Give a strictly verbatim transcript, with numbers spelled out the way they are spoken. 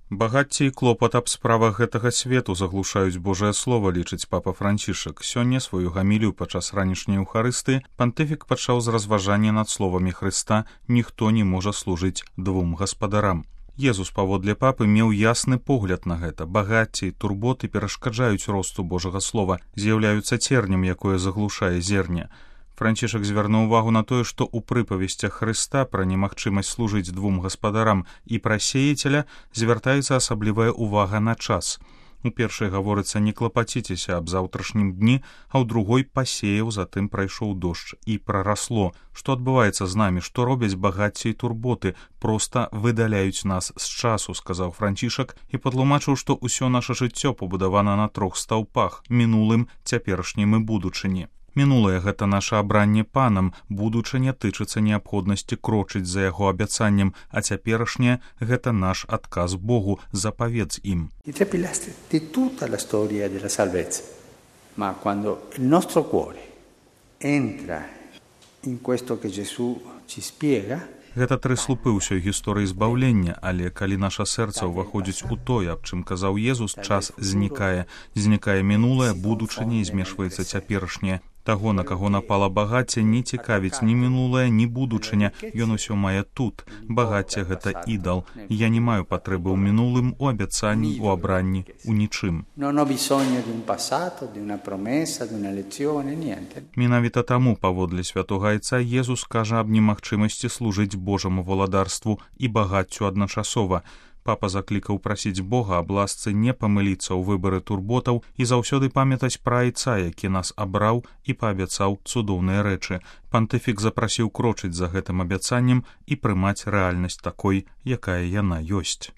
Багацце і клопат аб справах гэтага свету заглушаюць Божае Слова, лічыць папа Францішак. Сёння сваю гамілію падчас ранішняй Еўхарыстыі пантыфік пачаў з разважання над словамі Хрыста «Ніхто не можа служыць двум гаспадарам». Езус, паводле папы, меў ясны погляд на гэта. Багацце і турботы перашкаджаюць росту Божага Слова, з'яўляюцца цернем, якое заглушае зерне. Францішак звярнуў увагу на тое, што ў прыпавесцях Хрыста пра немагчымасць служыць двум гаспадарам і пра сеяцеля звяртаецца асаблівая ўвага на час. У першай гаворыцца «не клапаціцеся аб заўтрашнім дні», а ў другой «пасеяў, затым прайшоў дождж і прарасло». Што адбываецца з намі, што робяць багацце і турботы, проста выдаляюць нас з часу, сказаў Францішак і патлумачыў, што ўсё наша жыццё пабудавана на трох стаўпах – мінулым, цяперашнім і будучыні. Мінулае – гэта наша абранне панам, будучыня тычыцца неабходнасці крочыць за яго абяцаннем, а цяперашняе – гэта наш адказ Богу, запаведз ім. I tre pilastri di tutta la storia della salvezza. Ma quando il nostro cuore entra in questo che Gesù ci spiega, гэта тры слупы ўсёй гісторыі збаўлення, але калі наша сэрца ўваходзіць у тое, аб чым казаў Езус, час знікае. Знікае мінулае, будучыня і змешваецца цяперашняе. Таго, на каго напала багацце, не цікавіць ні мінулае, ні будучыня. Ён усё мае тут. Багацце – гэта ідал. Я не маю патрэбы ў мінулым, у абяцанні, у абранні, у нічым. Менавіта таму, паводле святога Айца, Езус кажа аб немагчымасці служыць Божаму валадарству і багаццю адначасова. Папа заклікаў прасіць Бога аб ласцы не памыліцца ў выбары турботаў і заўсёды памятаць пра Айца, які нас абраў і паабяцаў цудоўныя рэчы. Пантыфік запрасіў крочыць за гэтым абяцаннем і прымаць рэальнасць такой, якая яна ёсць.